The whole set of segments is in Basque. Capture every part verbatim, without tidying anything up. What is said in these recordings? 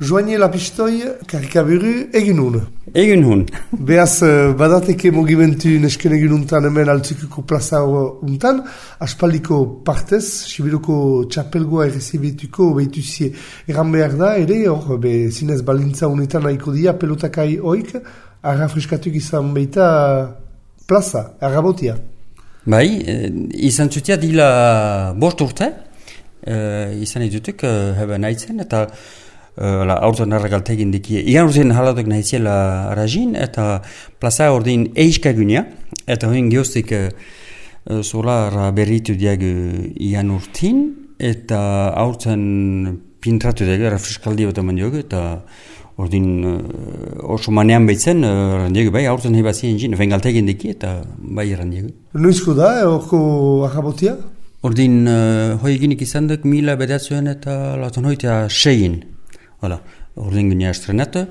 Joanie Lapistoi, karikaburu, egin hun. Egin hun. Beaz, badateke mugimendu nesken egin huntan hemen altzikuko plaza huntan, aspaldiko partez, Sibiruko txapelgoa errezibituko behituzie eran behar da, ere, hor, be, zinez balintza honetan nahiko dia, pelotakai oik, arra friskatuk izan behita plaza, arrabotia. Bai, izan zutia dila bost urte, izan edutuk, heben aitzen, eta La aurten arragaltegin dikie. Igan urtean halatuk nahiziela rajin, eta plaza ordin eiskagunia, eta hoin geostik solar berritu diagu igan urtin, eta aurten pintratu diagu, refreskaldi bat eman diogu, eta ordin oso manean behitzen, randiagu bai, aurten hebazien jin, vengaltegin dikie, eta bai randiagu. Noizko da, orko arrabotia? Ordin hoi eginik izan duk mila bedatzuen eta laton hoitea seien. Hala, ordin gune estrenatu,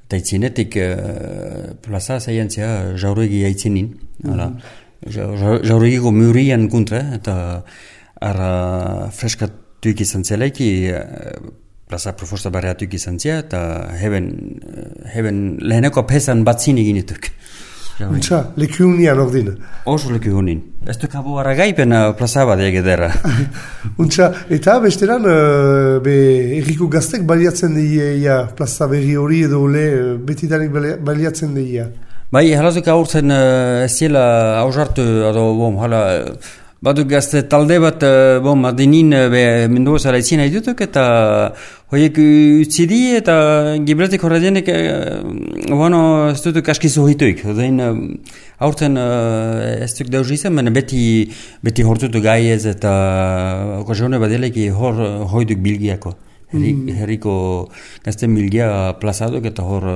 eta itzinetik uh, plaza zaientzia jauregi aitzinin. Hala, mm-hmm. Jauregiko murian kontra, eta ara freskatuik izan zelaiki, uh, plaza profosta barriatuik izan zia, eta heben, uh, heben leheneko pesan batzin eginetuk. Untsa, leku hunian ordin. Oso leku hunin. Ez duk abu aragaipen plaza bat egedera. Untsa, eta besteran, uh, be, erriko gaztek baliatzen deia plaza berri hori edo ole, betidanik baliatzen deia. Bai, halazuk aurtzen uh, ez ziela hausartu, edo, bom, hala, baduk gazte talde bat, uh, bom, adinin be, Mendoza laitzien haidutuk, eta hoiek utzidi, eta gibretik horredienek, uh, bueno, ez dutuk askizu hituik. Odein, uh, aurten uh, ez duk dauz izan, baina beti, beti hortutu gaiez, eta okasione badeleki hor hoiduk bilgiako. Herriko gazten bilgia plazaduk, eta hor,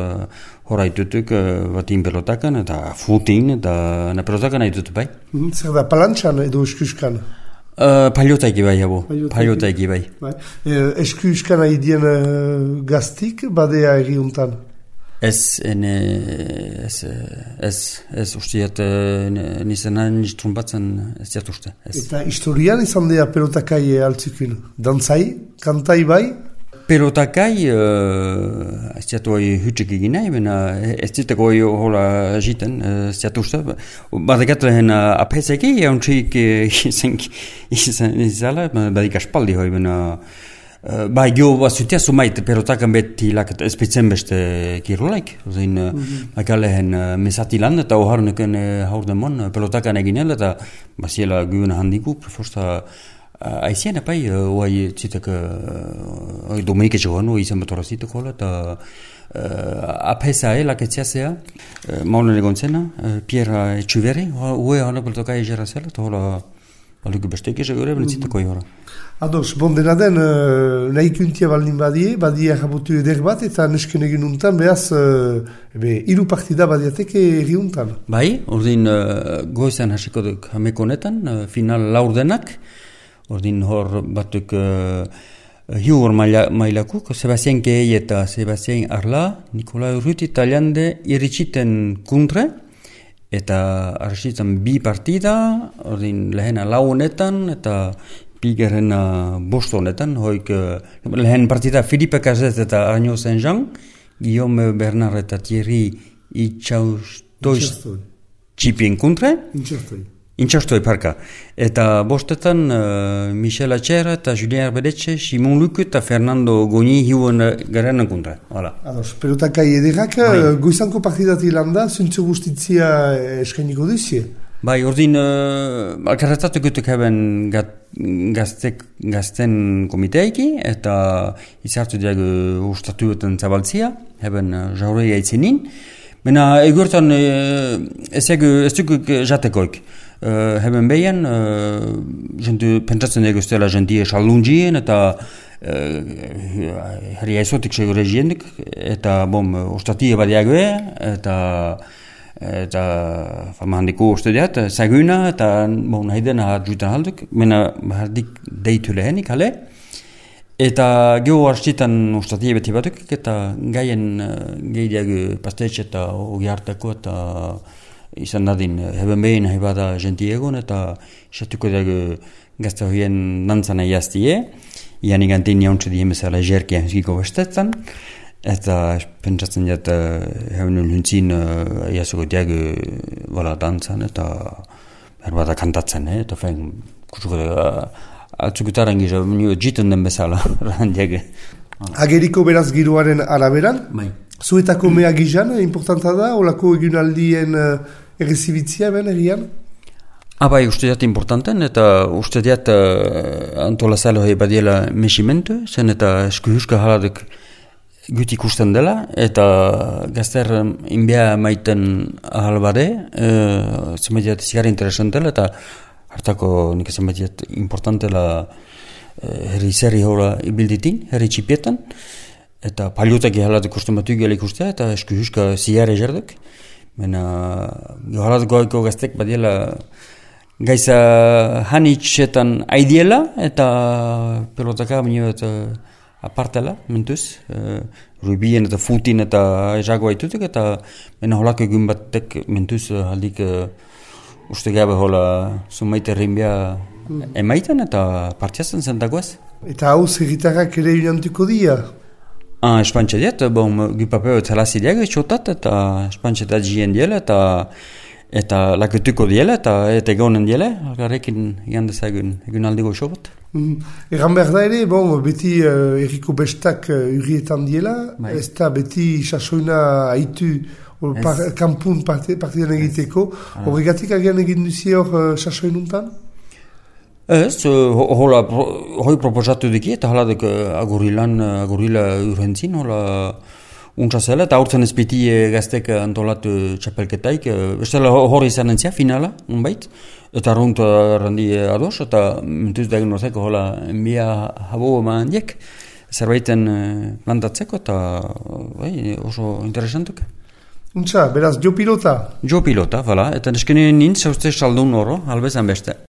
hor haitutuk uh, batin pelotakan, eta footing, eta na pelotakan haitutu bai. Mm, zer da, palantxan edo eskuskan? Uh, Paliotaiki bai, abo. Paliotaiki bai. bai. Eh, eskuskan haidien uh, gaztik, badea erriuntan? Ez, ene, ez, ez, ez usteat, nizenan nistrumpatzen ez diat uste. Eta historian izan dea pelotakai altzikin? Dantzai? Kantai bai? Pelotakai, uh, ez diat hoi hütsik egin nahi, baina ez diatek hoi hola jiten, ez diat uste. Badekat lehen apeseki, jauntzik izan izala, badik aspaldi hoi, baina Uh, bai, gio bat zutia sumait pelotakan beti laket espetzen beste kirolaik. Zein, mm-hmm. uh, lehen uh, mesati lan eta oharneken uh, haurdemon uh, pelotakan eginel eta basiela gyuen handiku, preforsta uh, aizien epai, uh, oai zitek uh, Dominike txegoan, oai izan batorazitek hola, eta uh, apesa e laketziazea, uh, maulen egon zena, uh, Pierre Etxuveri, oai hana pelotakai egera zela, eta hola baluki besteik egore, benetzitek oi hora. Ados, bon dena den, uh, nahi kuntia baldin badie, badie jabotu eder bat, eta nesken egin untan, behaz, uh, be, iru partida badiateke erri untan. Bai, ordin uh, goizan hasiko duk hameko honetan, uh, final laurdenak, ordin hor batuk uh, hiur mailakuk, Sebastien Kei eta Sebastien Arla, Nikolai Urruti Taliande iritsiten kuntre, eta arsitzen bi partida, ordin lehena lau honetan, eta Pigeren uh, bost honetan, hoik uh, lehen partida Filipe Cazet eta Arnaud Saint-Jean, Guillaume Bernard eta Thierry Itxaustoiz txipien kontre. Intxaustoi. Intxaustoi, parka. Eta bostetan uh, Michel Atxer eta Julien Arbedetxe, Simon Luc eta Fernando Goni hiuen garen kontre. Hala. Ados, pelotakai ederrak, goizanko partidati landa, zuntzu guztitzia eskainiko duzie? Bai, ordin, uh, alkarretatu gutuk haben gaztek, gazten komiteiki, eta izartu diagu ustatuetan zabaltzia, haben uh, jaurei aitzenin. Mena, egurtan, uh, ez dukuk jatekoik. Uh, haben behian, uh, jentu pentsatzen dugu stela jentie xalunjien, eta uh, herri aizotik segure jiendik, eta bom, ustatie badiagoe, eta eta fama handiko ustedeat, zaguna, eta bon, nahi dena jutan halduk, mena hardik deitu lehenik, hale. Eta geho hartzitan ustatie beti batuk, eta gaien uh, gehiago pastetxe eta ogi hartako, eta izan dadin, heben behin nahi bada jenti egon, eta isatuko dago gazte horien nantzana jaztie, ianik antin jauntze dien bezala jerkia hizkiko bestetzen, eta pentsatzen dut hemen luntzin jasoko diag wala dantzan eta berbada kantatzen, eta fein kutuko atzukutaren gisa jiten den bezala ran diag. Ageriko beraz giroaren araberan, Bai. zuetako mea gizan, importanta da, olako egunaldien uh, errezibitzia ben egian? Abai, uste diat importanten, eta uste diat uh, antolazalo hei badiela mesimentu, zen eta eskuhuska haladuk gut ikusten dela, eta gazter inbia maiten ahal bade, uh, zenbait zigarri interesantela, eta hartako nik zenbait importantela herri zerri hola ibilditin, herri txipietan, eta paliotaki halat ikusten batu gela ikustea, eta eskuhuska ziare jarduk. Baina, halat goiko gaztek badiela gaiza hanitxetan aidiela, eta pelotaka bineo eta apartela, mentuz, uh, rubien eta futin eta jagoa itutuk, eta baina holako egun batek mentuz haldik uh, uste gabe hola zumaite rinbia emaiten eta partiatzen zentagoaz. Eta hau zerritarrak ere unantuko dia? Ah, espantxe diet, bon, gupapeo txalazi diag etxotat, eta espantxe eta jien diela, eta eta laketuko diela, eta eta egonen diela, algarrekin jandezagun egun aldi goxo bat. Mm. Egan behar da ere, bon, beti uh, erriko bestak uh, urrietan diela, Bai. ez da beti sasoina haitu par, kampun partidan egiteko, horregatik agian egin duzi hor uh, sasoinuntan? Ez, hola, hoi proposatu diki, eta haladek agurilan, agurila urhentzin, hola, untsa zela, eta aurtzen ezpiti gaztek antolatu txapelketaik, bestela hori izan entzia, finala, unbait, eta arrunt randi ados, eta mentuz diagnozeko, hola, enbia habo eman diek, zerbaiten plantatzeko, eta bai, oso interesantuk. Untsa, beraz, jo pilota? Jo pilota, vala, eta neskene nintz, hauzte saldun oro, albezan beste.